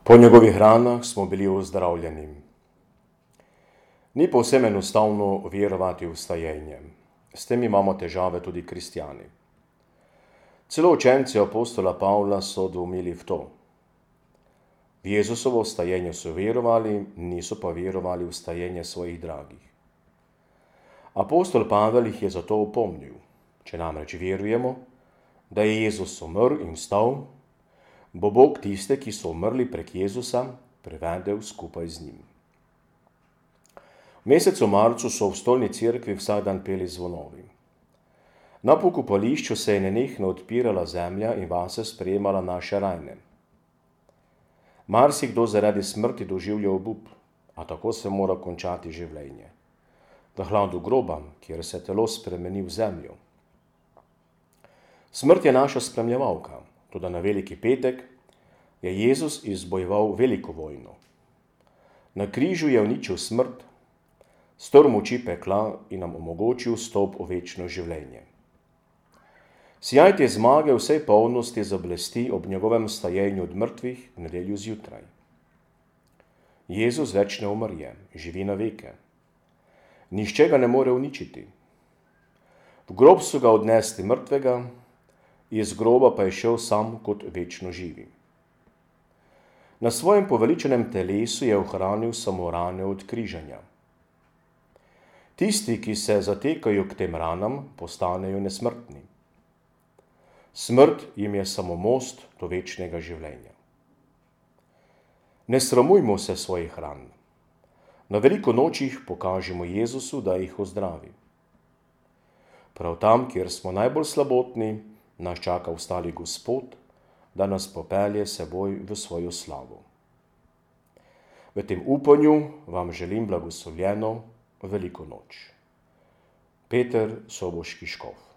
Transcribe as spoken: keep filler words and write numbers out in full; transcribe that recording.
Po njegovih ranah smo bili ozdravljeni. Ni povsem enostavno verovati v stajenje. S tem imamo težave tudi kristjani. Celo učenci apostola Pavla so dvomili v to. V Jezusovo stajenje so verovali, niso pa verovali v stajenje svojih dragih. Apostol Pavel jih je zato opomnil. Če namreč verujemo, da je Jezus umrl in vstal, bo Bog tiste, ki so umrli prek Jezusa, prevedel skupaj z njim. V mesecu marcu so v stolni cerkvi vsak dan peli zvonovi. Na pokopališču se je nenehno odpirala zemlja in vase sprejemala naše rajne. Marsikdo zaradi smrti doživlja obup, a tako se mora končati življenje. V hladu groba, kjer se telo spremeni v zemljo. Smrt je naša spremljevalka, toda na veliki petek je Jezus izbojeval veliko vojno. Na križu je uničil smrt, strl moči pekla in nam omogočil vstop v večno življenje. Sijaj te zmage vsej polnosti zablesti ob njegovem stajenju od mrtvih v nedeljo zjutraj. Jezus več ne umrje, živi na veke. Nihče ga ne more uničiti. V grob so ga odnesli mrtvega, iz groba pa je šel sam kot večno živi. Na svojem poveličenem telesu je ohranil samo rane od križanja. Tisti, ki se zatekajo k tem ranam, postanejo nesmrtni. Smrt jim je samo most do večnega življenja. Ne sramujmo se svojih ran. Na veliko nočih pokažemo Jezusu, da jih ozdravi. Prav tam, kjer smo najbolj slabotni, nas čaka ustali Gospod, da nas popelje seboj v svojo slavo. V tem upanju vam želim blagoslovljeno veliko noč. Peter Soboški škof.